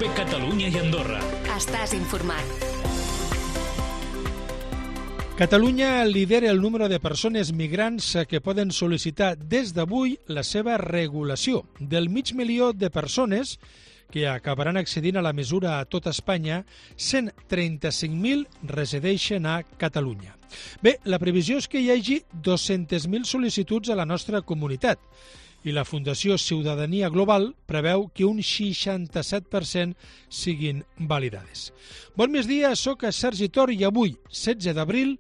COPE Catalunya i Andorra. Estàs informat. Catalunya lidera el número de persones migrants que poden sol·licitar des d'avui la seva regulació. Del 500.000 de persones que acabaran accedint a la mesura a tot Espanya, 135.000 resideixen a Catalunya. Bé, la previsió és que hi hagi 200.000 sol·licituds a la nostra comunitat i la Fundació Ciutadania Global preveu que un 67% siguin validades. Bon migdia, soc Sergi Tor i avui, 16 d'abril,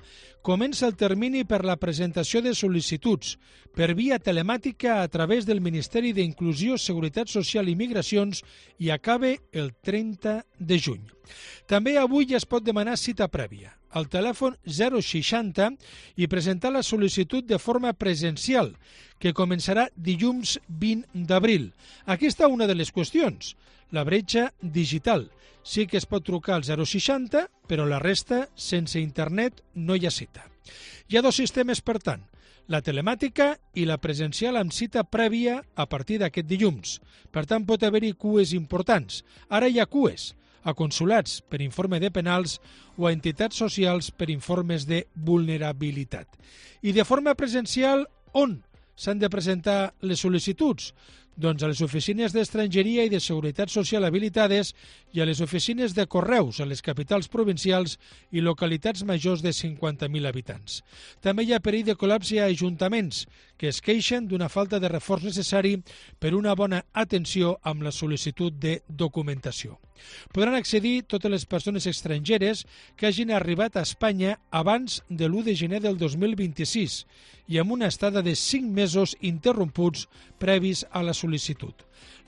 comença el termini per la presentació de sol·licituds per via telemàtica a través del Ministeri d'Inclusió, Seguretat Social i Migracions i acabe el 30 de juny. També avui ja es pot demanar cita prèvia al telèfon 060 i presentar la sol·licitud de forma presencial, que començarà dilluns 20 d'abril. Aquí està una de les qüestions, la bretxa digital. Sí que es pot trucar al 060, però la resta, sense internet, no hi ha cita. Hi ha dos sistemes, per tant, la telemàtica i la presencial amb cita prèvia a partir d'aquest dilluns. Per tant, pot haver-hi cues importants. Ara hi ha cues a consulats per informe de penals o a entitats socials per informes de vulnerabilitat. I de forma presencial, on s'han de presentar les sol·licituds? Doncs a les oficines d'estrangeria i de seguretat social habilitades i a les oficines de correus a les capitals provincials i localitats majors de 50.000 habitants. També hi ha perill de col·lapse a ajuntaments que es queixen d'una falta de reforç necessari per una bona atenció amb la sol·licitud de documentació. Podran accedir totes les persones estrangeres que hagin arribat a Espanya abans de l'1 de gener del 2026 i amb una estada de 5 mesos interromputs previs a la sol·licitud.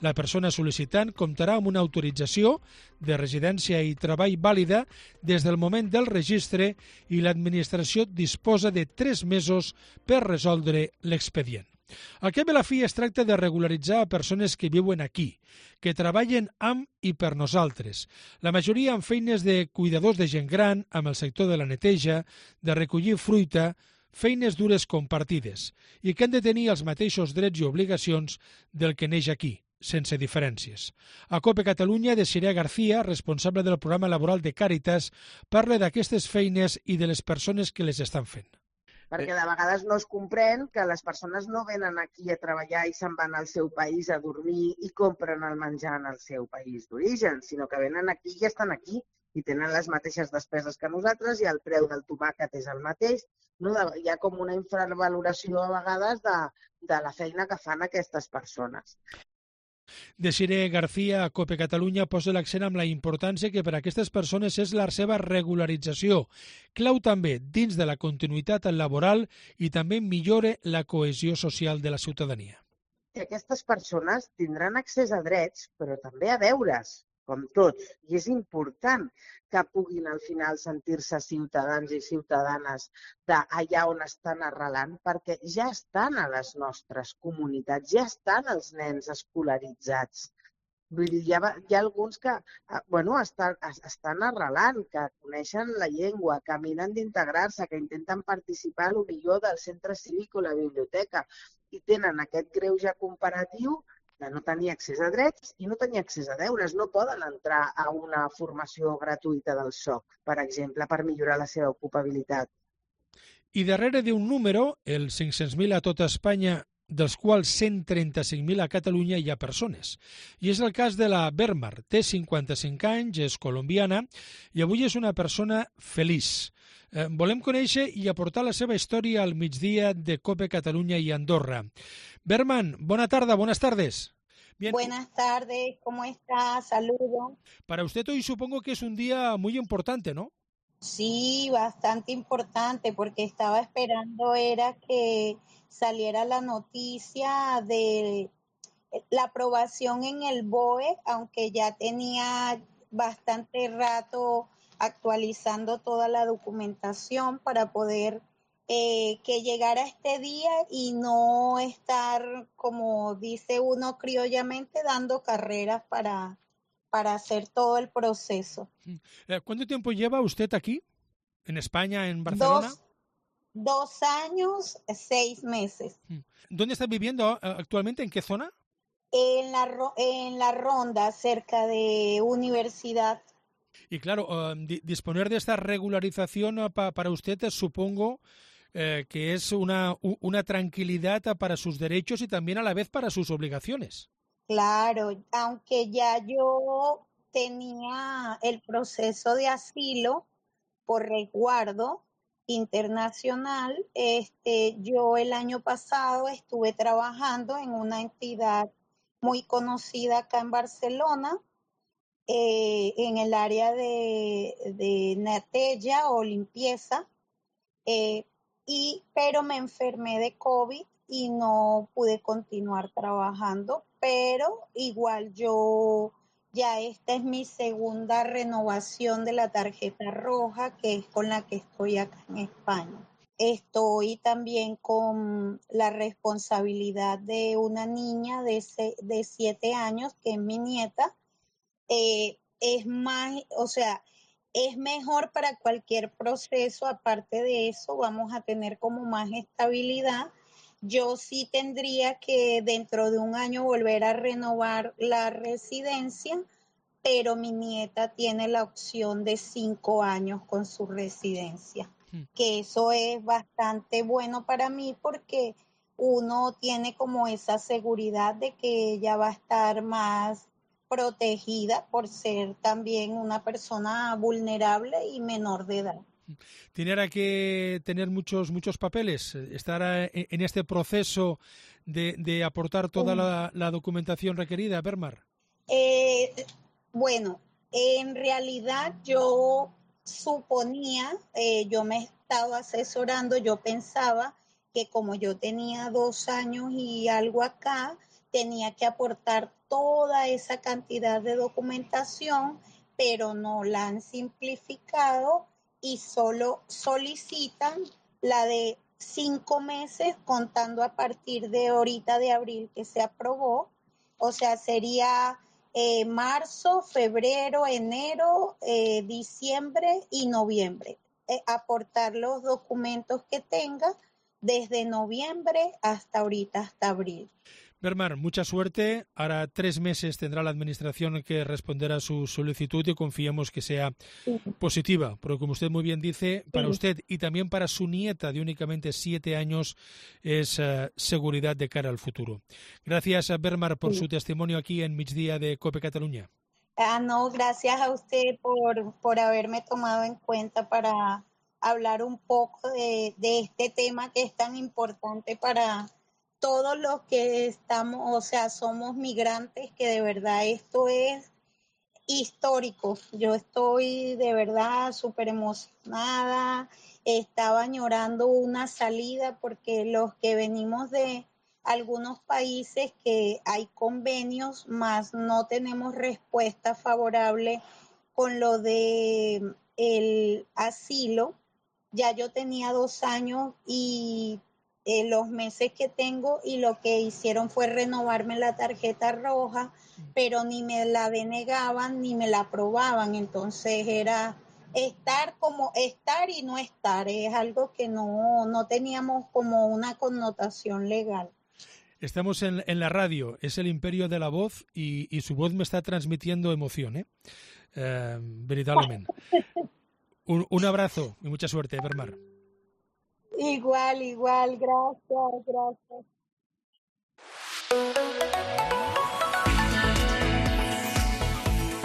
La persona sol·licitant comptarà amb una autorització de residència i treball vàlida des del moment del registre i l'administració disposa de 3 mesos per resoldre l'expedient. Al cap i a la fi es tracta de regularitzar a persones que viuen aquí, que treballen amb i per nosaltres. La majoria amb feines de cuidadors de gent gran, amb el sector de la neteja, de recollir fruita, feines dures compartides, i que han de tenir els mateixos drets i obligacions del que neix aquí, sense diferències. A COPE Catalunya, Desiree García, responsable del programa laboral de Càritas, parla d'aquestes feines i de les persones que les estan fent. Perquè de vegades no es comprèn que les persones no venen aquí a treballar i se'n van al seu país a dormir i compren el menjar en el seu país d'origen, sinó que venen aquí i estan aquí i tenen les mateixes despeses que nosaltres i el preu del tomàquet és el mateix. No? Hi ha com una infravaloració a vegades de la feina que fan aquestes persones. Desiree García, a COPE Catalunya, posa l'accent amb la importància que per a aquestes persones és la seva regularització. Clau també dins de la continuïtat laboral i també millora la cohesió social de la ciutadania. Aquestes persones tindran accés a drets, però també a deures, com tots. I és important que puguin al final sentir-se ciutadans i ciutadanes d'allà on estan arrelant, perquè ja estan a les nostres comunitats, ja estan els nens escolaritzats. Vull dir, hi ha alguns que estan arrelant, que coneixen la llengua, que miren d'integrar-se, que intenten participar millor del centre cívic o la biblioteca i tenen aquest greuge comparatiu de no tenir accés a drets i no tenir accés a deures. No poden entrar a una formació gratuïta del SOC, per exemple, per millorar la seva ocupabilitat. I darrere d'un número, els 500.000 a tota Espanya, dels quals 135.000 a Catalunya, hi ha persones. I és el cas de la Bermar. Té 55 anys, és colombiana i avui és una persona feliç. Volem conèixer i aportar la seva història al migdia de COPE Catalunya i Andorra. Berman, buenas tardes. Bien. Buenas tardes, ¿cómo está? Saludos. Para usted hoy supongo que es un día muy importante, ¿no? Sí, bastante importante, porque estaba esperando era que saliera la noticia de la aprobación en el BOE, aunque ya tenía bastante rato actualizando toda la documentación para poder que llegara este día y no estar, como dice uno criollamente, dando carreras para hacer todo el proceso. ¿Cuánto tiempo lleva usted aquí, en España, en Barcelona? 2 años, 6 meses. ¿Dónde está viviendo actualmente? ¿En qué zona? En la Ronda, cerca de Universidad. Y claro, disponer de esta regularización para usted, supongo que es una tranquilidad para sus derechos y también a la vez para sus obligaciones. Claro, aunque ya yo tenía el proceso de asilo por resguardo internacional, yo el año pasado estuve trabajando en una entidad muy conocida acá en Barcelona, en el área de netella o limpieza, pero me enfermé de COVID y no pude continuar trabajando, pero igual ya esta es mi segunda renovación de la tarjeta roja, que es con la que estoy acá en España. Estoy también con la responsabilidad de una niña de 7 años, que es mi nieta. Es mejor para cualquier proceso. Aparte de eso, vamos a tener como más estabilidad. Yo sí tendría que dentro de un año volver a renovar la residencia, pero mi nieta tiene la opción de 5 años con su residencia, que eso es bastante bueno para mí porque uno tiene como esa seguridad de que ella va a estar más protegida por ser también una persona vulnerable y menor de edad. ¿Tiene que tener muchos papeles? ¿Estar en este proceso de aportar toda la documentación requerida, Bermar? Bueno, en realidad yo suponía, yo me he estado asesorando, yo pensaba que como yo tenía 2 años y algo acá, tenía que aportar toda esa cantidad de documentación, pero no la han simplificado y solo solicitan la de 5 meses contando a partir de ahorita de abril que se aprobó, o sea, sería marzo, febrero, enero, diciembre y noviembre. Aportar los documentos que tenga desde noviembre hasta ahorita, hasta abril. Bermar, mucha suerte. Ahora 3 meses tendrá la Administración que responder a su solicitud y confiamos que sea positiva, porque como usted muy bien dice, para usted y también para su nieta de únicamente 7 años es seguridad de cara al futuro. Gracias a Bermar por su testimonio aquí en Migdia de COPE Cataluña. No, gracias a usted por haberme tomado en cuenta para hablar un poco de este tema que es tan importante para todos los que estamos, o sea, somos migrantes, que de verdad esto es histórico. Yo estoy de verdad súper emocionada, estaba añorando una salida porque los que venimos de algunos países que hay convenios, más no tenemos respuesta favorable con lo de el asilo. Ya yo tenía 2 años y los meses que tengo y lo que hicieron fue renovarme la tarjeta roja, pero ni me la denegaban ni me la aprobaban, entonces era estar y no estar, es algo que no teníamos como una connotación legal. Estamos en la radio, es el imperio de la voz y su voz me está transmitiendo emoción, veritablemente. Un abrazo y mucha suerte, Bermar. Igual, gracias.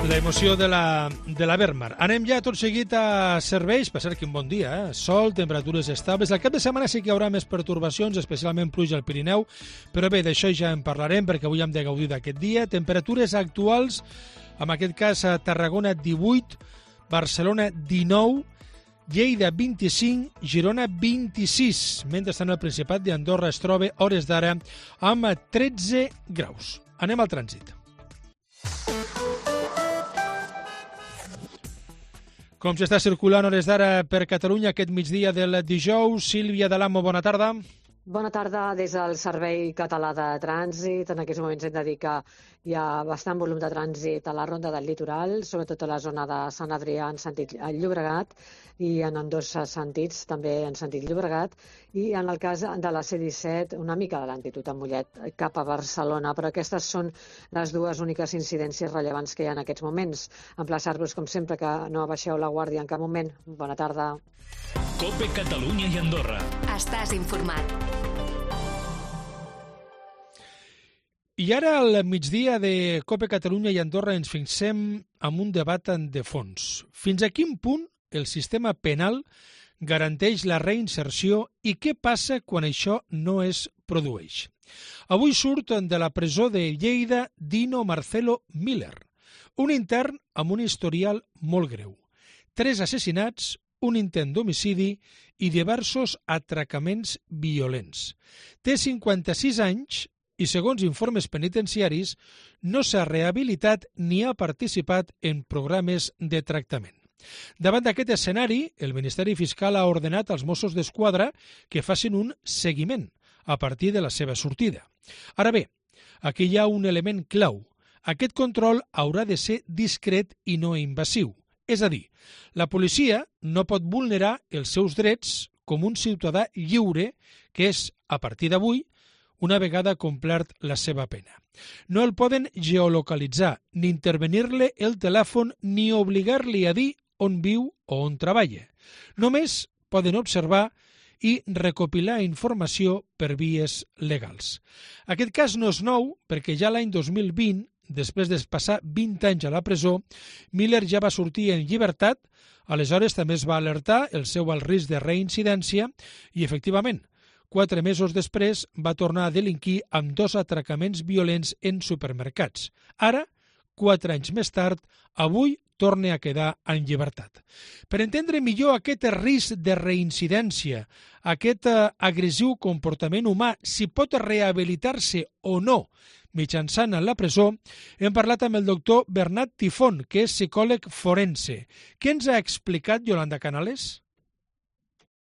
La emoció de la Bermar. Anem ja tot seguit a serveis. Per cert, quin bon dia, Sol, temperatures estables. Al cap de setmana sí que hi haurà més pertorbacions, especialment pluja al Pirineu, però bé, d'això ja en parlarem perquè avui hem de gaudir d'aquest dia. Temperatures actuals, en aquest cas a Tarragona 18, Barcelona 19, Lleida 25, Girona 26. Mentrestant el Principat d'Andorra es troba hores d'ara amb 13 graus. Anem al trànsit. Com s'està circulant hores d'ara per Catalunya aquest migdia del dijous? Sílvia Dalamo, bona tarda. Bona tarda des del Servei Català de Trànsit. En aquests moments hem de dir que hi ha bastant volum de trànsit a la Ronda del Litoral, sobretot a la zona de Sant Adrià en sentit Llobregat i en ambdós sentits, també en sentit Llobregat. I en el cas de la C-17, una mica de lentitud a Mollet cap a Barcelona, però aquestes són les dues úniques incidències rellevants que hi ha en aquests moments. Emplaçar-vos, com sempre, que no abaixeu la guàrdia en cap moment. Bona tarda. COPE Catalunya i Andorra. Estàs informat. I ara, al migdia de COPE Catalunya i Andorra, ens fixem en un debat de fons. Fins a quin punt el sistema penal garanteix la reinserció i què passa quan això no es produeix? Avui surt de la presó de Lleida Dino Marcelo Miller, un intern amb un historial molt greu. 3 assassinats, un intent d'homicidi i diversos atracaments violents. Té 56 anys i, segons informes penitenciaris, no s'ha rehabilitat ni ha participat en programes de tractament. Davant d'aquest escenari, el Ministeri Fiscal ha ordenat als Mossos d'Esquadra que facin un seguiment a partir de la seva sortida. Ara bé, aquí hi ha un element clau. Aquest control haurà de ser discret i no invasiu. És a dir, la policia no pot vulnerar els seus drets com un ciutadà lliure que és, a partir d'avui, una vegada complert la seva pena. No el poden geolocalitzar, ni intervenir-li el telèfon, ni obligar-li a dir on viu o on treballa. Només poden observar i recopilar informació per vies legals. Aquest cas no és nou perquè ja l'any 2020, després de passar 20 anys a la presó, Miller ja va sortir en llibertat, aleshores també es va alertar el seu alt risc de reincidència i, efectivament, 4 mesos després va tornar a delinquir amb 2 atracaments violents en supermercats. Ara, 4 anys més tard, avui torna a quedar en llibertat. Per entendre millor aquest risc de reincidència, aquest agressiu comportament humà, si pot rehabilitar-se o no mitjançant la presó, hem parlat amb el doctor Bernat Tifón, que és psicòleg forense. Què ens ha explicat Yolanda Canales?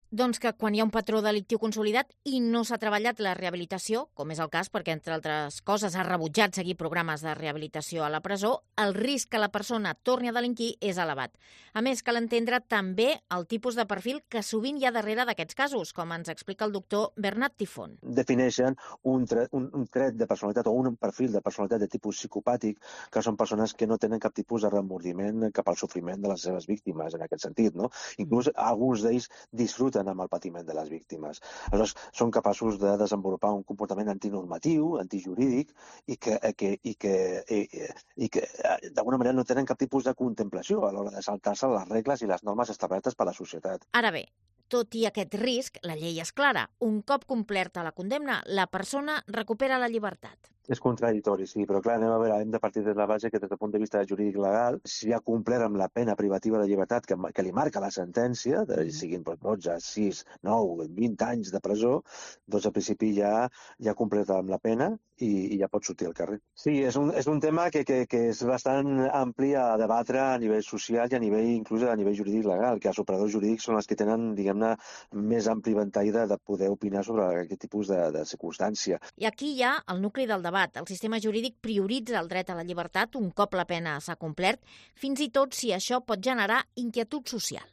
Doncs que quan hi ha un patró delictiu consolidat i no s'ha treballat la rehabilitació, com és el cas perquè, entre altres coses, ha rebutjat seguir programes de rehabilitació a la presó, el risc que la persona torni a delinquir és elevat. A més, cal entendre també el tipus de perfil que sovint hi ha darrere d'aquests casos, com ens explica el doctor Bernat Tifón. Defineixen un tret de personalitat o un perfil de personalitat de tipus psicopàtic, que són persones que no tenen cap tipus de remordiment cap al sofriment de les seves víctimes, en aquest sentit, no? Inclús alguns d'ells disfruten amb el patiment de les víctimes. Aleshores, són capaços de desenvolupar un comportament antinormatiu, antijurídic, i que d'alguna manera no tenen cap tipus de contemplació a l'hora de saltar-se les regles i les normes establertes per la societat. Ara bé, tot i aquest risc, la llei és clara. Un cop complerta la condemna, la persona recupera la llibertat. És contradictori, sí, però clar, hem de partir de la base que des del punt de vista jurídic legal, si ha complert amb la pena privativa de llibertat que li marca la sentència, siguin 12, 6, 9, 20 anys de presó, doncs al principi ja ha complert amb la pena i ja pot sortir al carrer. Sí, és un tema que és bastant ampli a debatre a nivell social i a nivell, inclús a nivell jurídic legal, que els operadors jurídics són els que tenen, diguem-ne, més ampli ventall de poder opinar sobre aquest tipus de circumstància. I aquí hi ha el nucli del debat. El sistema jurídic prioritza el dret a la llibertat un cop la pena s'ha complert, fins i tot si això pot generar inquietud social.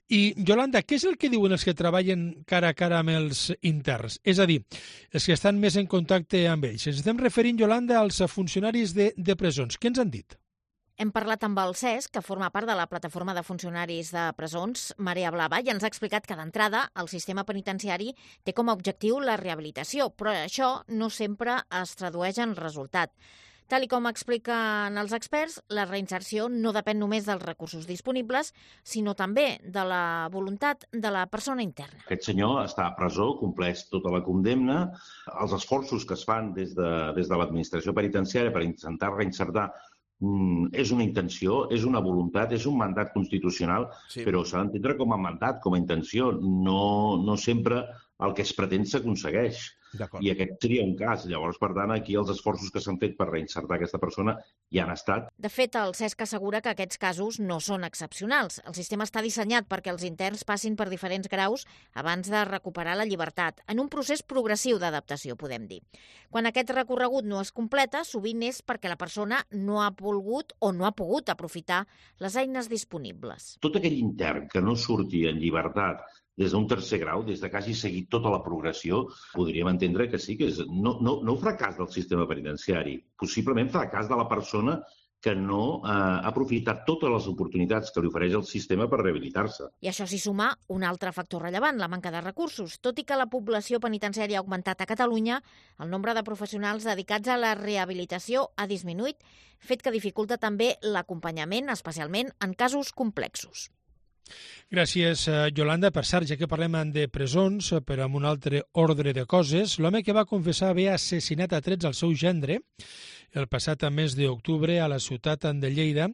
I, Yolanda, què és el que diuen els que treballen cara a cara amb els interns? És a dir, els que estan més en contacte amb ells. Ens estem referint, Yolanda, als funcionaris de presons. Què ens han dit? Hem parlat amb el CES, que forma part de la plataforma de funcionaris de presons, Marea Blava, i ens ha explicat que d'entrada el sistema penitenciari té com a objectiu la rehabilitació, però això no sempre es tradueix en resultat. Tal com expliquen els experts, la reinserció no depèn només dels recursos disponibles, sinó també de la voluntat de la persona interna. Aquest senyor està a presó, compleix tota la condemna. Els esforços que es fan des de l'administració penitenciària per intentar reinsertar és una intenció, és una voluntat, és un mandat constitucional, sí. Però s'ha d'entendre com a mandat, com a intenció. No sempre el que es pretén s'aconsegueix. I aquest seria un cas. Llavors, per tant, aquí els esforços que s'han fet per reinsertar aquesta persona ja han estat. De fet, el Cesc assegura que aquests casos no són excepcionals. El sistema està dissenyat perquè els interns passin per diferents graus abans de recuperar la llibertat, en un procés progressiu d'adaptació, podem dir. Quan aquest recorregut no es completa, sovint és perquè la persona no ha volgut o no ha pogut aprofitar les eines disponibles. Tot aquell intern que no surti en llibertat des d'un tercer grau, des que hagi seguit tota la progressió, podríem entendre que sí, que és no fracàs del sistema penitenciari, possiblement fracàs de la persona que no ha aprofitat totes les oportunitats que li ofereix el sistema per rehabilitar-se. I això s'hi suma un altre factor rellevant, la manca de recursos. Tot i que la població penitenciària ha augmentat a Catalunya, el nombre de professionals dedicats a la rehabilitació ha disminuït, fet que dificulta també l'acompanyament, especialment en casos complexos. Gràcies, Yolanda. Per cert, ja que parlem de presons, però amb un altre ordre de coses, l'home que va confessar haver assassinat a trets al seu gendre el passat mes d'octubre a la ciutat de Lleida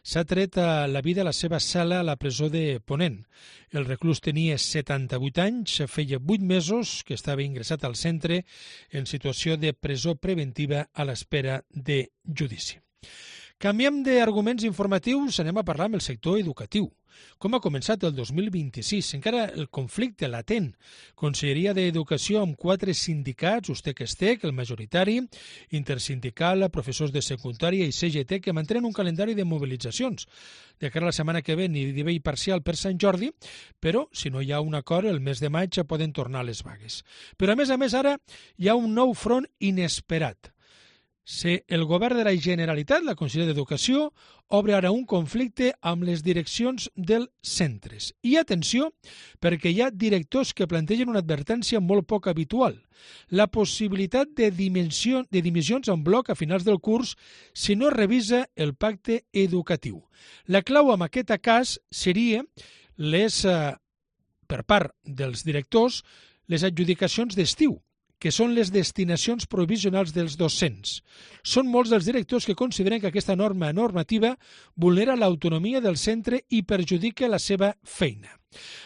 s'ha tret la vida a la seva cel·la a la presó de Ponent. El reclús tenia 78 anys, feia 8 mesos que estava ingressat al centre en situació de presó preventiva a l'espera de judici. Canviem d'arguments informatius, anem a parlar amb el sector educatiu. Com ha començat el 2026? Encara el conflicte latent. Conselleria d'Educació amb 4 sindicats, USTEC-ESTEC, el majoritari, Intersindical, professors de secundària i CGT, que mantenen un calendari de mobilitzacions. De cara a la setmana que ve, ni nivell parcial per Sant Jordi, però si no hi ha un acord, el mes de maig poden tornar les vagues. Però a més, ara hi ha un nou front inesperat. El govern de la Generalitat, la Conselleria d'Educació, obre ara un conflicte amb les direccions dels centres. I atenció, perquè hi ha directors que plantegen una advertència molt poc habitual. La possibilitat de dimissions en bloc a finals del curs si no es revisa el pacte educatiu. La clau en aquest cas seria per part dels directors, les adjudicacions d'estiu, que són les destinacions provisionals dels docents. Són molts dels directors que consideren que aquesta normativa vulnera l'autonomia del centre i perjudica la seva feina.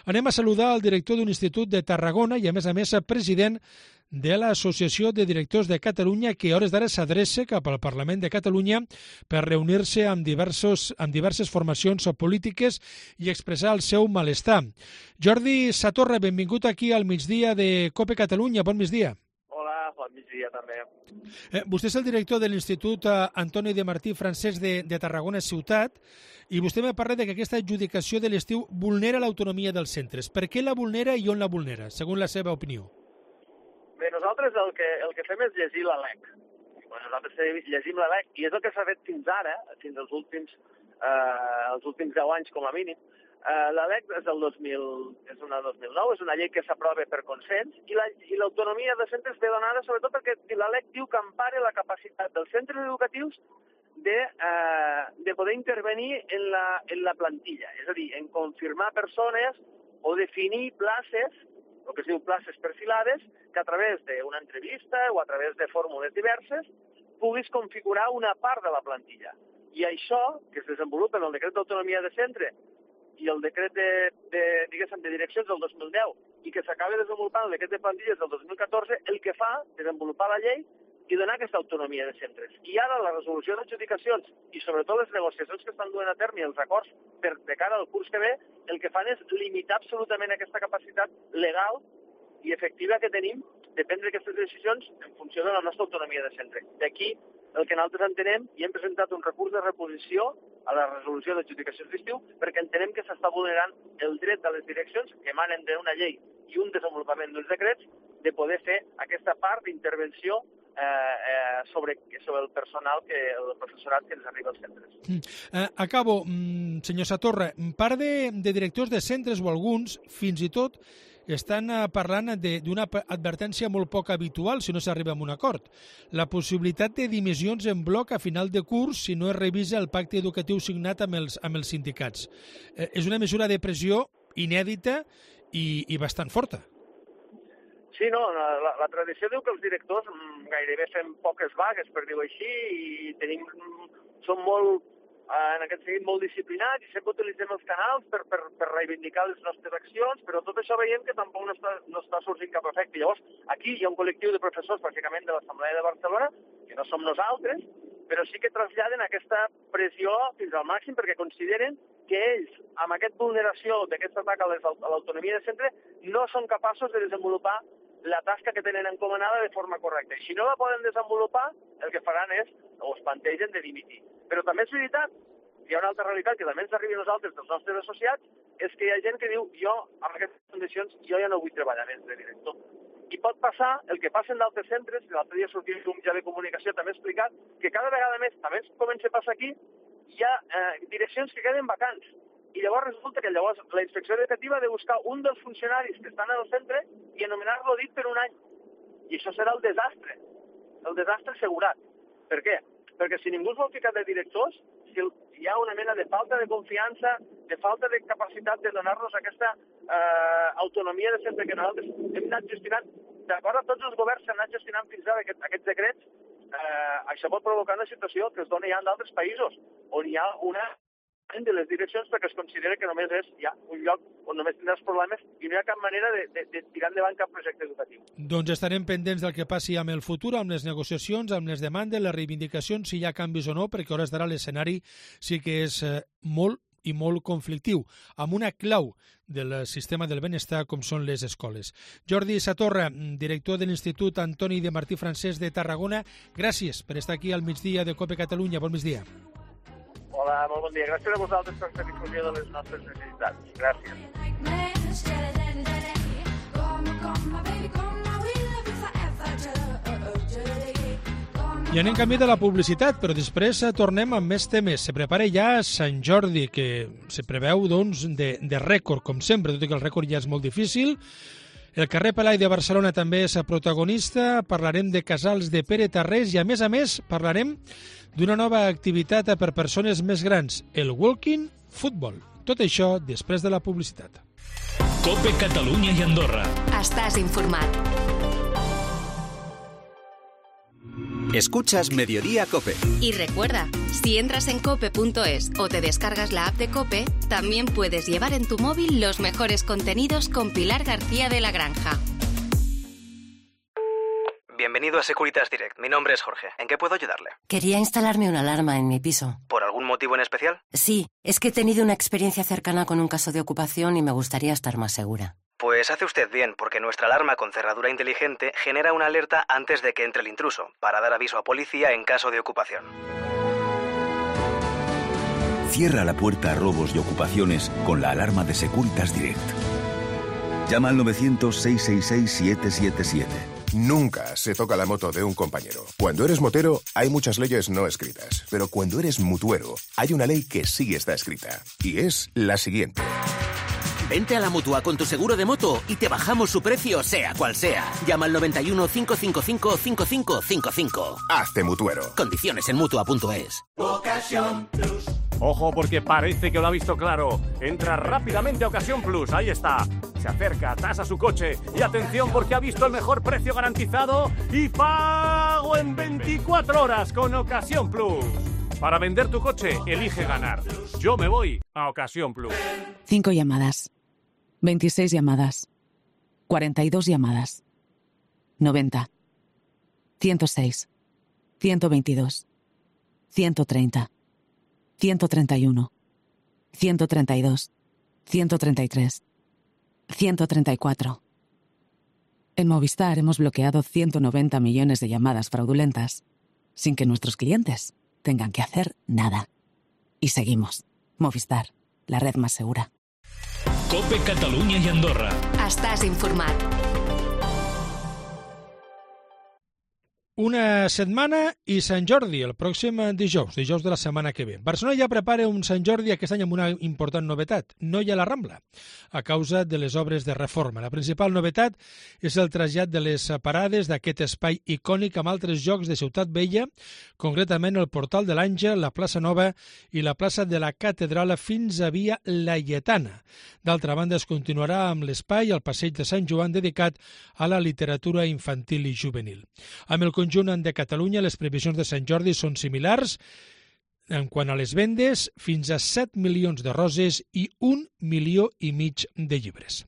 Anem a saludar el director d'un institut de Tarragona i, a més, president de l'Associació de Directors de Catalunya, que a hores d'ara s'adreça cap al Parlament de Catalunya per reunir-se amb diverses formacions polítiques i expressar el seu malestar. Jordi Satorra, benvingut aquí al migdia de COPE Catalunya. Bon migdia. Hola, bon migdia també. Vostè és el director de l'Institut Antoni de Martí Francesc de Tarragona Ciutat i vostè me parla que aquesta adjudicació de l'estiu vulnera l'autonomia dels centres. Per què la vulnera i on la vulnera, segons la seva opinió? Bé, nosaltres el que fem és llegir la LEC. Nosaltres llegim la LEC i és el que s'ha fet fins ara, fins als últims 10 anys com a mínim. La LEC és una 2009, és una llei que s'aprova per consens i l'autonomia de centres ve donada sobretot perquè la LEC diu que empara la capacitat dels centres educatius de poder intervenir en la plantilla, és a dir, en confirmar persones o definir places, el que es diu places perfilades, que a través d'una entrevista o a través de fórmules diverses puguis configurar una part de la plantilla. I això, que es desenvolupa en el decret d'autonomia de centre i el decret de direccions del 2010 i que s'acaba desenvolupant el decret de plantilles del 2014, el que fa és desenvolupar la llei i donar aquesta autonomia de centres. I ara la resolució d'adjudicacions i sobretot les negociacions que estan duent a terme i els acords de cara al curs que ve, el que fan és limitar absolutament aquesta capacitat legal i efectiva que tenim de prendre aquestes decisions en funció de la nostra autonomia de centre. D'aquí el que nosaltres entenem i hem presentat un recurs de reposició a la resolució d'adjudicacions d'estiu perquè entenem que s'està vulnerant el dret de les direccions que emanen d'una llei i un desenvolupament d'uns decrets de poder fer aquesta part d'intervenció sobre el personal, el professorat que ens arriba als centres. Acabo, senyor Satorra. Part de directors de centres o alguns, fins i tot, estan parlant d'una advertència molt poc habitual si no s'arriba a un acord. La possibilitat de dimissions en bloc a final de curs si no es revisa el pacte educatiu signat amb els sindicats. És una mesura de pressió inèdita i bastant forta. Sí, no, la tradició diu que els directors gairebé fem poques vagues, per dir-ho així, i som molt en aquest sentit molt disciplinats i sempre utilitzem els canals per reivindicar les nostres accions, però tot això veiem que tampoc no està sorgint cap efecte. Llavors, aquí hi ha un col·lectiu de professors, bàsicament de l'Assemblea de Barcelona, que no som nosaltres, però sí que traslladen aquesta pressió fins al màxim perquè consideren que ells, amb aquesta vulneració d'aquest atac a l'autonomia de centre, no són capaços de desenvolupar la tasca que tenen encomanada de forma correcta. I si no la poden desenvolupar, el que faran és, o es plantegen, de dimitir. Però també és veritat, hi ha una altra realitat que també ens arriba a nosaltres, dels nostres associats, és que hi ha gent que diu, jo, amb aquestes condicions, jo ja no vull treballar més de director. I pot passar el que passa en d'altres centres, l'altre dia sortia un mitjà de comunicació també ha explicat, que cada vegada més, també comença a passar aquí, hi ha direccions que queden vacants. I llavors resulta que la inspecció educativa ha de buscar un dels funcionaris que estan al centre i anomenar-lo dit per un any. I això serà el desastre assegurat. Per què? Perquè si ningú es vol ficar de directors, si hi ha una mena de falta de confiança, de falta de capacitat de donar-nos aquesta autonomia de centre que nosaltres hem anat gestionant, d'acord a tots els governs s'han anat gestionant fins ara aquests decrets, això pot provocar una situació que es dona ja en d'altres països, on hi ha una de les direccions perquè es considera que només és ja un lloc on només tindràs problemes i no hi ha cap manera de tirar endavant cap projecte educatiu. Doncs estarem pendents del que passi amb el futur, amb les negociacions, amb les demandes, les reivindicacions, si hi ha canvis o no, perquè a hores d'ara l'escenari sí que és molt i molt conflictiu, amb una clau del sistema del benestar com són les escoles. Jordi Satorra, director de l'Institut Antoni de Martí Francesc de Tarragona, gràcies per estar aquí al migdia de COPE Catalunya. Bon migdia. Hola, molt bon dia. Gràcies a vosaltres per la difusió de les nostres necessitats. Gràcies. I anem camí de la publicitat, però després tornem amb més temes. Se prepara ja Sant Jordi, que se preveu doncs, de rècord, com sempre, tot i que el rècord ja és molt difícil. El carrer Pelai de Barcelona també és protagonista, parlarem de casals de Pere Tarrés i, a més, parlarem d'una nova activitat per persones més grans, el Walking Football. Tot això després de la publicitat. COPE Catalunya i Andorra. Estàs informat. Escuchas Mediodía COPE. Y recuerda, si entras en cope.es o te descargas la app de COPE, también puedes llevar en tu móvil los mejores contenidos con Pilar García de la Granja. Bienvenido a Securitas Direct. Mi nombre es Jorge. ¿En qué puedo ayudarle? Quería instalarme una alarma en mi piso. ¿Por algún motivo en especial? Sí, es que he tenido una experiencia cercana con un caso de ocupación y me gustaría estar más segura. Pues hace usted bien, porque nuestra alarma con cerradura inteligente genera una alerta antes de que entre el intruso, para dar aviso a policía en caso de ocupación. Cierra la puerta a robos y ocupaciones con la alarma de Securitas Direct. Llama al 900-666-777. Nunca se toca la moto de un compañero. Cuando eres motero, hay muchas leyes no escritas. Pero cuando eres mutuero, hay una ley que sí está escrita. Y es la siguiente. Vente a la Mutua con tu seguro de moto y te bajamos su precio, sea cual sea. Llama al 91 555 5555. Hazte mutuero. Condiciones en Mutua.es. Ocasión Plus. Ojo, porque parece que lo ha visto claro. Entra rápidamente a Ocasión Plus, ahí está. Se acerca, tasa su coche y atención porque ha visto el mejor precio garantizado y pago en 24 horas con Ocasión Plus. Para vender tu coche, elige ganar. Yo me voy a Ocasión Plus. 5 llamadas. 26 llamadas. 42 llamadas. 90. 106. 122. 130. 131. 132. 133. 134. En Movistar hemos bloqueado 190 millones de llamadas fraudulentas sin que nuestros clientes tengan que hacer nada. Y seguimos. Movistar, la red más segura. COPE Catalunya i Andorra. Estàs informat. Una setmana i Sant Jordi, el pròxim dijous de la setmana que ve. Barcelona ja prepara un Sant Jordi aquest any amb una important novetat. No hi ha la Rambla, a causa de les obres de reforma. La principal novetat és el trasllat de les parades d'aquest espai icònic amb altres llocs de Ciutat Vella, concretament el Portal de l'Àngel, la plaça Nova i la plaça de la Catedral fins a Via Laietana. D'altra banda, es continuarà amb l'espai al Passeig de Sant Joan dedicat a la literatura infantil i juvenil. Amb el conjunt de Catalunya, les previsions de Sant Jordi són similars. en quant a les vendes, fins a 7 milions de roses i 1,5 milió de llibres.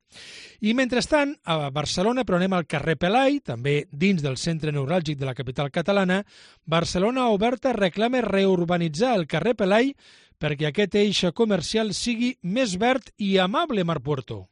I mentrestant, a Barcelona, però anem al carrer Pelai, també dins del centre neuràlgic de la capital catalana, Barcelona Oberta reclama reurbanitzar el carrer Pelai perquè aquest eix comercial sigui més verd i amable, Marc Puerto.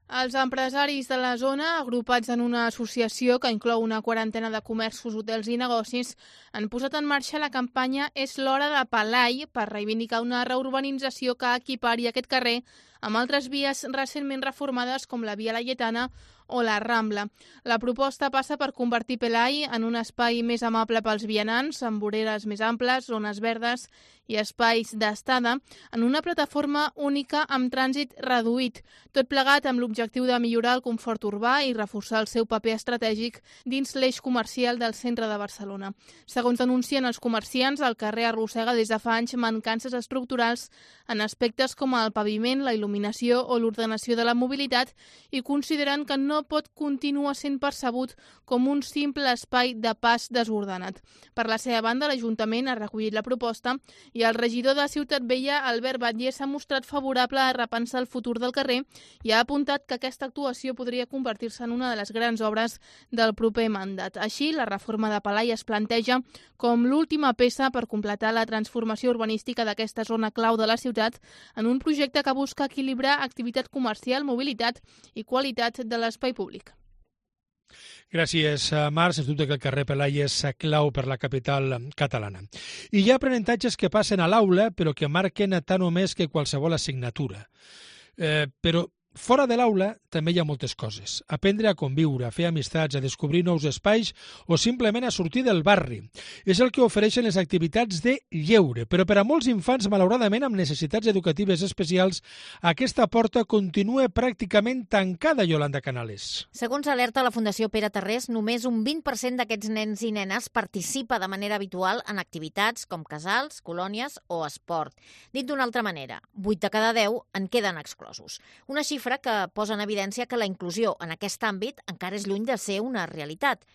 Els empresaris de la zona, agrupats en una associació que inclou una quarantena de comerços, hotels i negocis, han posat en marxa la campanya És l'hora de Pelai per reivindicar una reurbanització que equipari aquest carrer amb altres vies recentment reformades com la Via Laietana o la Rambla. La proposta passa per convertir Pelai en un espai més amable pels vianants, amb voreres més amples, zones verdes i espais d'estada, en una plataforma única amb trànsit reduït, tot plegat amb l'objectiu de millorar el confort urbà i reforçar el seu paper estratègic dins l'eix comercial del centre de Barcelona. Segons denuncien els comerciants, el carrer arrossega des de fa anys mancances estructurals en aspectes com el paviment, la il·luminació o l'ordenació de la mobilitat i consideren que no pot continuar sent percebut com un simple espai de pas desordenat. Per la seva banda, l'Ajuntament ha recollit la proposta i el regidor de Ciutat Vella, Albert Batlle, s'ha mostrat favorable a repensar el futur del carrer i ha apuntat que aquesta actuació podria convertir-se en una de les grans obres del proper mandat. Així, la reforma de Pelai es planteja com l'última peça per completar la transformació urbanística d'aquesta zona clau de la ciutat en un projecte que busca equilibrar activitat comercial, mobilitat i qualitat de l'espai públic. Gràcies, Marc. Sens dubte que el carrer Pelai és clau per la capital catalana. I hi ha aprenentatges que passen a l'aula, però que marquen tant o més que qualsevol assignatura. Però fora de l'aula també hi ha moltes coses. Aprendre a conviure, a fer amistats, a descobrir nous espais o simplement a sortir del barri. És el que ofereixen les activitats de lleure, però per a molts infants, malauradament, amb necessitats educatives especials, aquesta porta continua pràcticament tancada, Yolanda Canales. Segons alerta la Fundació Pere Tarrés, només un 20% d'aquests nens i nenes participa de manera habitual en activitats com casals, colònies o esport. Dit d'una altra manera, 8 de cada 10 en queden exclosos. Una xifra que posa en evidència que la inclusió en aquest àmbit encara és lluny de ser una realitat.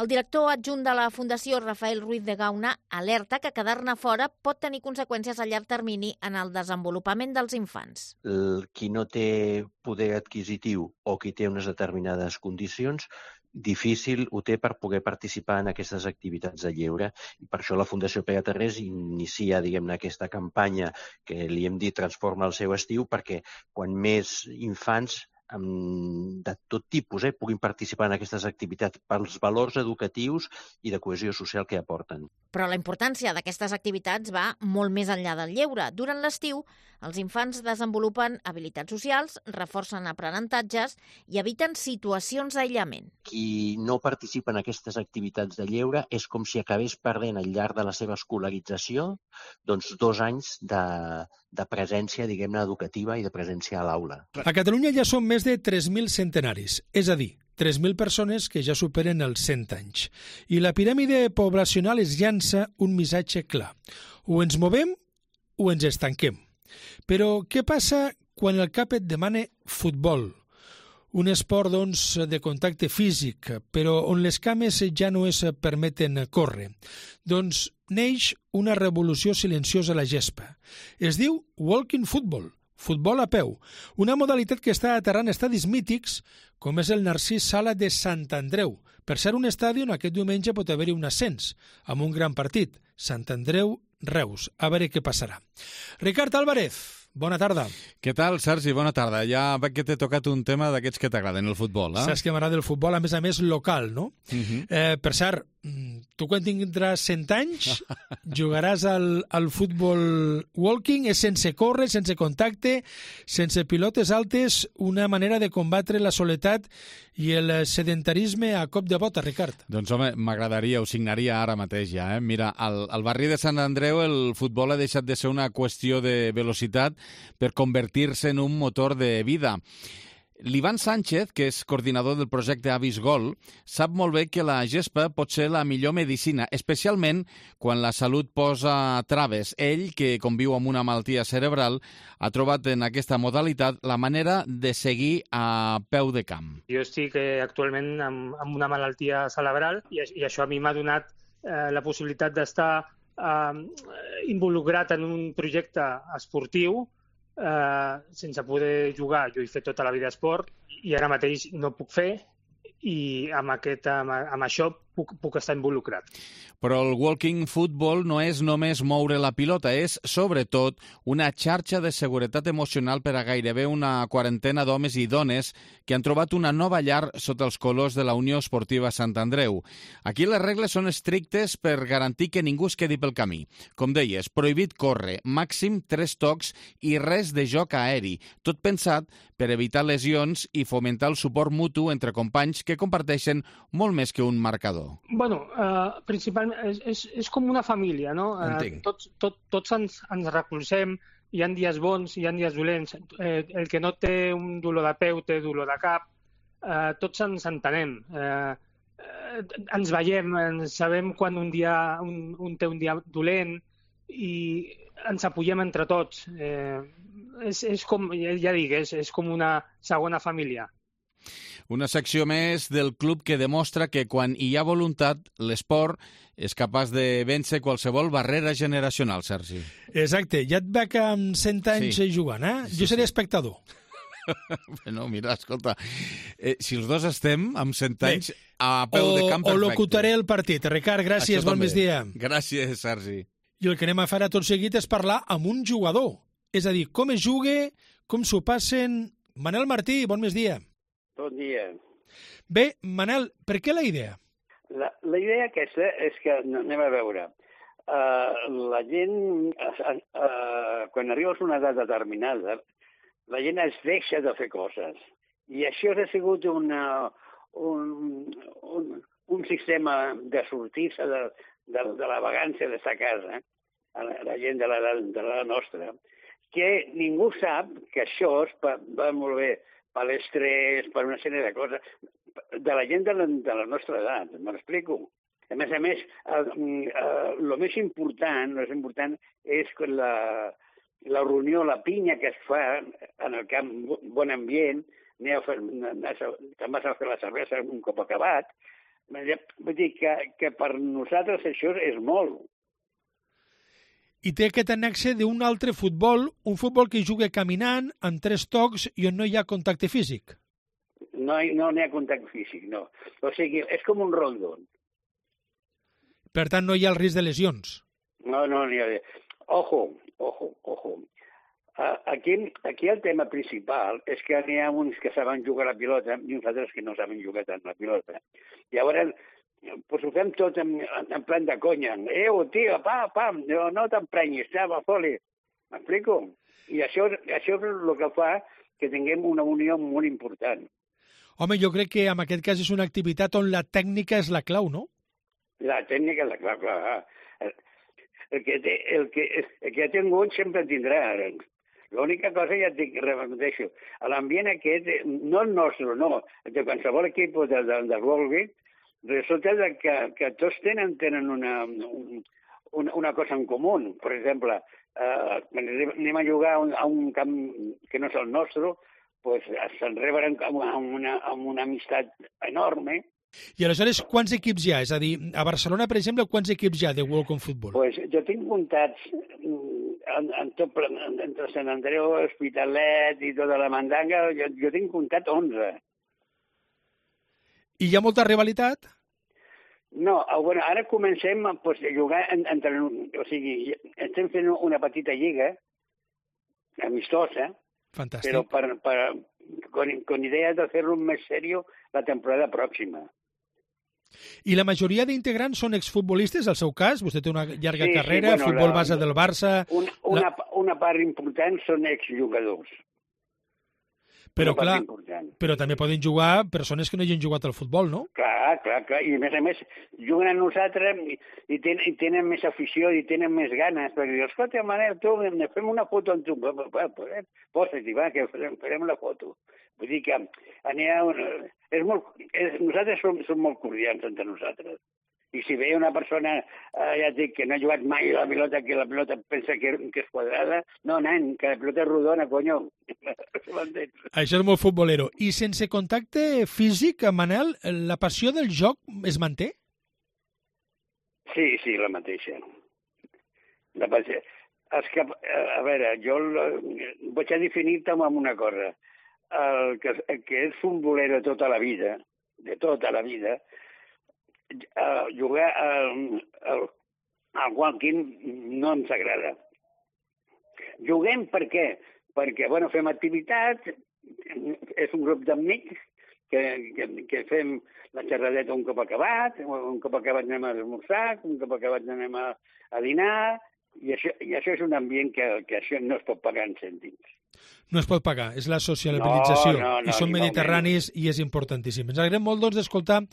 El director adjunt de la Fundació, Rafael Ruiz de Gauna, alerta que quedar-ne fora pot tenir conseqüències a llarg termini en el desenvolupament dels infants. Qui no té poder adquisitiu o qui té unes determinades condicions, difícil ho té per poder participar en aquestes activitats de lleure. I per això la Fundació Pere Tarrés inicia, aquesta campanya que li hem dit Transforma el seu estiu, perquè quan més infants de tot tipus puguin participar en aquestes activitats pels valors educatius i de cohesió social que aporten. Però la importància d'aquestes activitats va molt més enllà del lleure. Durant l'estiu, els infants desenvolupen habilitats socials, reforcen aprenentatges i eviten situacions d'aïllament. Qui no participa en aquestes activitats de lleure és com si acabés perdent al llarg de la seva escolarització 2 anys de presència, educativa i de presència a l'aula. A Catalunya ja són més de 3.000 centenaris, és a dir, 3.000 persones que ja superen els 100 anys. I la piràmide poblacional es llança un missatge clar. O ens movem o ens estanquem. Però què passa quan el cap et demana futbol? Un esport, de contacte físic, però on les cames ja no es permeten córrer. Neix una revolució silenciosa a la gespa. Es diu walking football, futbol a peu, una modalitat que està aterrant estadis mítics, com és el Narcís Sala de Sant Andreu. Per ser un estadi on aquest diumenge pot haver-hi un ascens, amb un gran partit, Sant Andreu-Reus. A veure què passarà. Ricard Álvarez, bona tarda. Què tal, Sergi? Bona tarda. Ja veig que t'he tocat un tema d'aquests que t'agraden, el futbol, eh? Saps que m'agrada el futbol, a més local, no? Per cert, tu quan tindràs 100 anys jugaràs al futbol walking, és sense córrer, sense contacte, sense pilotes altes, una manera de combatre la soledat i el sedentarisme a cop de bota, Ricard. Doncs home, m'agradaria, ho signaria ara mateix ja. Mira, al barri de Sant Andreu el futbol ha deixat de ser una qüestió de velocitat per convertir-se en un motor de vida. L'Ivan Sánchez, que és coordinador del projecte Avis Gol, sap molt bé que la gespa pot ser la millor medicina, especialment quan la salut posa traves. Ell, que conviu amb una malaltia cerebral, ha trobat en aquesta modalitat la manera de seguir a peu de camp. Jo estic actualment amb una malaltia cerebral i això a mi m'ha donat la possibilitat d'estar involucrat en un projecte esportiu sense poder jugar. Jo he fet tota la vida esport i ara mateix no puc fer i amb això puc estar involucrat. Però el walking football no és només moure la pilota, és, sobretot, una xarxa de seguretat emocional per a gairebé una quarantena d'homes i dones que han trobat una nova llar sota els colors de la Unió Esportiva Sant Andreu. Aquí les regles són estrictes per garantir que ningú es quedi pel camí. Com deies, prohibit córrer, màxim 3 tocs i res de joc aeri, tot pensat per evitar lesions i fomentar el suport mutu entre companys que comparteixen molt més que un marcador. Bueno, principalment és com una família, no? Entenc. Tots ens recolzem, hi ha dies bons, hi ha dies dolents. El que no té un dolor de peu té dolor de cap. Tots ens entenem. Ens veiem, sabem quan un té un dia dolent i ens apoyem entre tots. És com, ja dic, és com una segona família. Una secció més del club que demostra que quan hi ha voluntat, l'esport és capaç de vèncer qualsevol barrera generacional, Sergi. Exacte. Ja et veig amb 100 anys jugant, eh? Jo seré espectador. Bueno, mira, escolta, si els dos estem amb 100 anys a peu de camp perfecte. O locutaré el partit. Ricard, gràcies, bon migdia. Gràcies, Sergi. I el que anem a fer tot seguit és parlar amb un jugador. És a dir, com es juga, com s'ho passen... Manel Martí, bon migdia. Bon dia. Bé, Manel, per què la idea? La idea aquesta és que, anem a veure, la gent, quan arribes a una edat determinada, la gent es deixa de fer coses. I això ha sigut un sistema de sortir-se de la vagància d'estar a casa, la gent de la nostra, que ningú sap que això va molt bé per l'estrès, per una sèrie de coses, de la gent de la nostra edat, m'explico? A més, el més important és que la reunió, la pinya que es fa en el camp, bon ambient, te'n vas a fer la cervesa un cop acabat, vull dir que per nosaltres això és molt. I té aquest annexe d'un altre futbol, un futbol que juga caminant, amb 3 tocs i on no hi ha contacte físic. No hi ha contacte físic, no. O sigui, és com un rondon. Per tant, no hi ha el risc de lesions. No n'hi ha. Ojo. Aquí el tema principal és que n'hi ha uns que saben jugar a la pilota i uns altres que no saben jugar tant a la pilota. Llavors, pues ho fem tot en plan de conya. Tio, pam, no t'emprenyis, va, foli. M'explico? I això és el que fa que tinguem una unió molt important. Home, jo crec que en aquest cas és una activitat on la tècnica és la clau, no? La tècnica és la clau, clar. El que ha tingut sempre tindrà. L'única cosa, ja et repeteixo, l'ambient aquest, no el nostre, no, de qualsevol equip de rugby, resulta que tots tenen una cosa en comú. Per exemple, anem a jugar a un camp que no és el nostre, doncs se'n reben amb una amistat enorme. I aleshores, quants equips hi ha? És a dir, a Barcelona, per exemple, quants equips hi ha de Walking Football? Doncs jo tinc comptats entre Sant Andreu, Hospitalet i tota la mandanga, jo tinc comptat 11. I hi ha molta rivalitat? No, bueno, ara comencem a jugar entre... O sigui, estem fent una petita lliga amistosa, fantàstic, però con idea de fer-lo més serio la temporada pròxima. I la majoria d'integrants són exfutbolistes, al seu cas? Vostè té una llarga carrera, bueno, futbol base del Barça... Una part important són exjugadors. Però clar, però també poden jugar persones que no hagin jugat al futbol, no? Clar. I a més, juguen a nosaltres i tenen més afició i tenen més ganes. Perquè dius, escolta, Manel, tu, fem una foto amb tu. Posa-t'hi, va, que farem la foto. Vull dir que nosaltres som molt cordials entre nosaltres. I si ve una persona, ja et dic, que no ha jugat mai a la pilota, que la pilota pensa que és quadrada, no, nen, que la pilota és rodona, conyo. Això és molt futbolero. I sense contacte físic, Manel, la passió del joc es manté? Sí, la mateixa. És que, a veure, jo vaig a definir-te amb una cosa. El que és futbolero tota la vida, de tota la vida, jugar al walking no ens agrada. Juguem per què? Perquè, bueno, fem activitats, és un grup d'amics que fem la xerradeta un cop acabat anem a esmorzar, un cop acabat anem a dinar, i això és un ambient que això no es pot pagar en cèntims. No es pot pagar, és la socialització. No, I són mediterranis i és importantíssim. Ens alegrem molt doncs, d'escoltar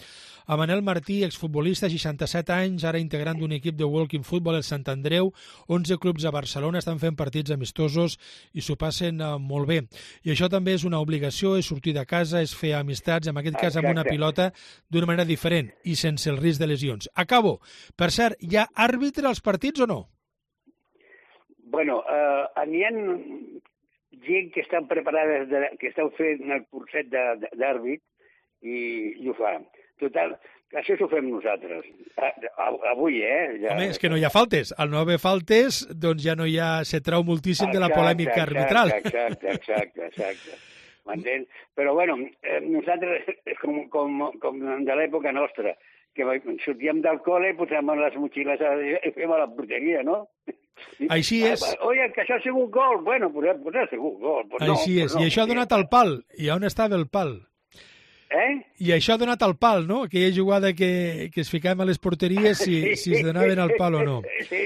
a Manel Martí, exfutbolista, 67 anys, ara integrant d'un equip de walking football, el Sant Andreu, 11 clubs a Barcelona, estan fent partits amistosos i s'ho passen molt bé. I això també és una obligació, és sortir de casa, és fer amistats, en aquest cas amb una pilota, d'una manera diferent i sense el risc de lesions. Acabo. Per cert, hi ha àrbitre als partits o no? Bueno, n'hi ha gent que estan preparades, que estan fent el curset d'àrbit i ho fa. Total, això s'ho fem nosaltres. Avui, ja... Home, és que no hi ha faltes. Al no haver faltes, doncs ja no hi ha... Se trau moltíssim de la polèmica arbitral. Exacte. M'entens? Però, bueno, nosaltres, com de l'època nostra, que sortíem del col·le, posàvem les motxilles i fèiem a la porteria, no? Així és. Oye, que això ha sigut gol. Bueno, pues ha sigut gol. Així és. I això ha donat al pal. I on estava el pal? I això ha donat al pal, no? Aquella jugada que es ficàvem a les porteries si es donaven al pal o no. Sí.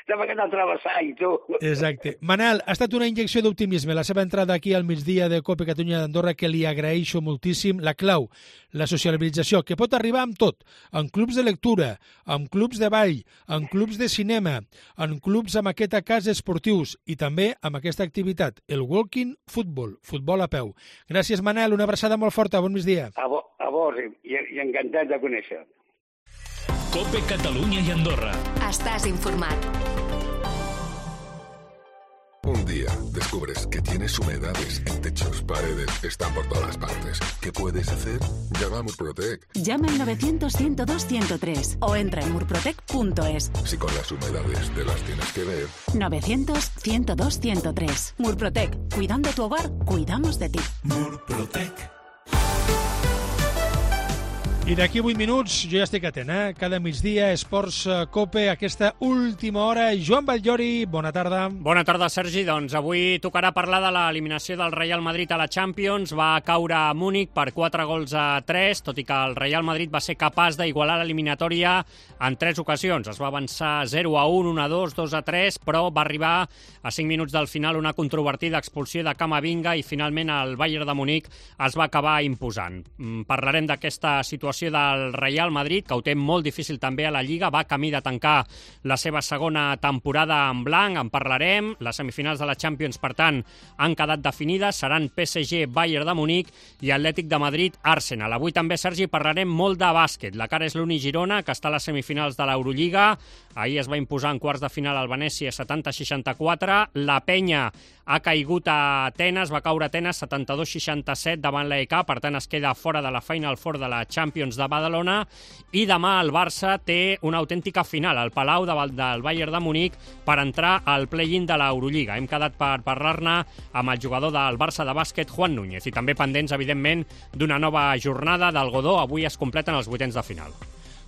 Estava que travessar i tu. Exacte. Manel, ha estat una injecció d'optimisme la seva entrada aquí al migdia de Cope Catalunya d'Andorra, que li agraeixo moltíssim. La clau, la socialització, que pot arribar amb tot, en clubs de lectura, en clubs de ball, en clubs de cinema, en clubs amb aquest cas esportius i també amb aquesta activitat, el walking football, futbol a peu. Gràcies, Manel, una abraçada molt forta, bon migdia. A vos, i encantat de conèixer. Cope Catalunya i Andorra. Estàs informat. Un día descubres que tienes humedades en techos, paredes, están por todas partes. ¿Qué puedes hacer? Llama a Murprotec. Llama al 900-102-103 o entra en murprotec.es. Si con las humedades te las tienes que ver. 900-102-103. Murprotec. Cuidando tu hogar, cuidamos de ti. Murprotec. I d'aquí 8 minuts, jo ja estic atent, Cada migdia, Esports Cope, aquesta última hora. Joan Batllori, bona tarda. Bona tarda, Sergi. Doncs avui tocarà parlar de l'eliminació del Real Madrid a la Champions. Va caure a Múnich per 4-3, tot i que el Real Madrid va ser capaç d'igualar l'eliminatòria en 3 ocasions. Es va avançar 0-1, 1-2, 2-3, però va arribar a 5 minuts del final una controvertida expulsió de Camavinga i finalment el Bayern de Múnich es va acabar imposant. Parlarem d'aquesta situació del Real Madrid, que ho té molt difícil també a la Lliga, va camí de tancar la seva segona temporada en blanc, en parlarem. Les semifinals de la Champions, per tant, han quedat definides, seran PSG, Bayern de Múnich i Atlètic de Madrid, Arsenal. Avui també, Sergi, parlarem molt de bàsquet. La cara és l'Uni Girona, que està a les semifinals de l'Eurolliga. Ahir es va imposar en quarts de final al Venècia 70-64. La Penya ha caigut a Atenes, va caure a Atenes 72-67 davant l'AEK, per tant es queda fora de la Final Four de la Champions de Badalona, i demà el Barça té una autèntica final al Palau del Bayern de Múnich per entrar al play-in de l'Eurolliga. Hem quedat per parlar-ne amb el jugador del Barça de bàsquet, Juan Núñez, i també pendents, evidentment, d'una nova jornada del Godó. Avui es completen els vuitens de final.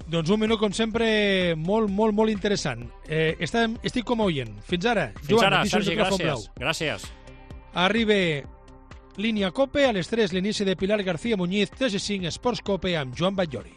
Doncs un minut, com sempre, molt interessant. Estic com a oient. Fins ara. Fins ara, Sergi, gràcies. Arriba Línia Cope, a les 3 l'inici de Pilar García Muñiz, TG5 Esports Cope amb Joan Batllori.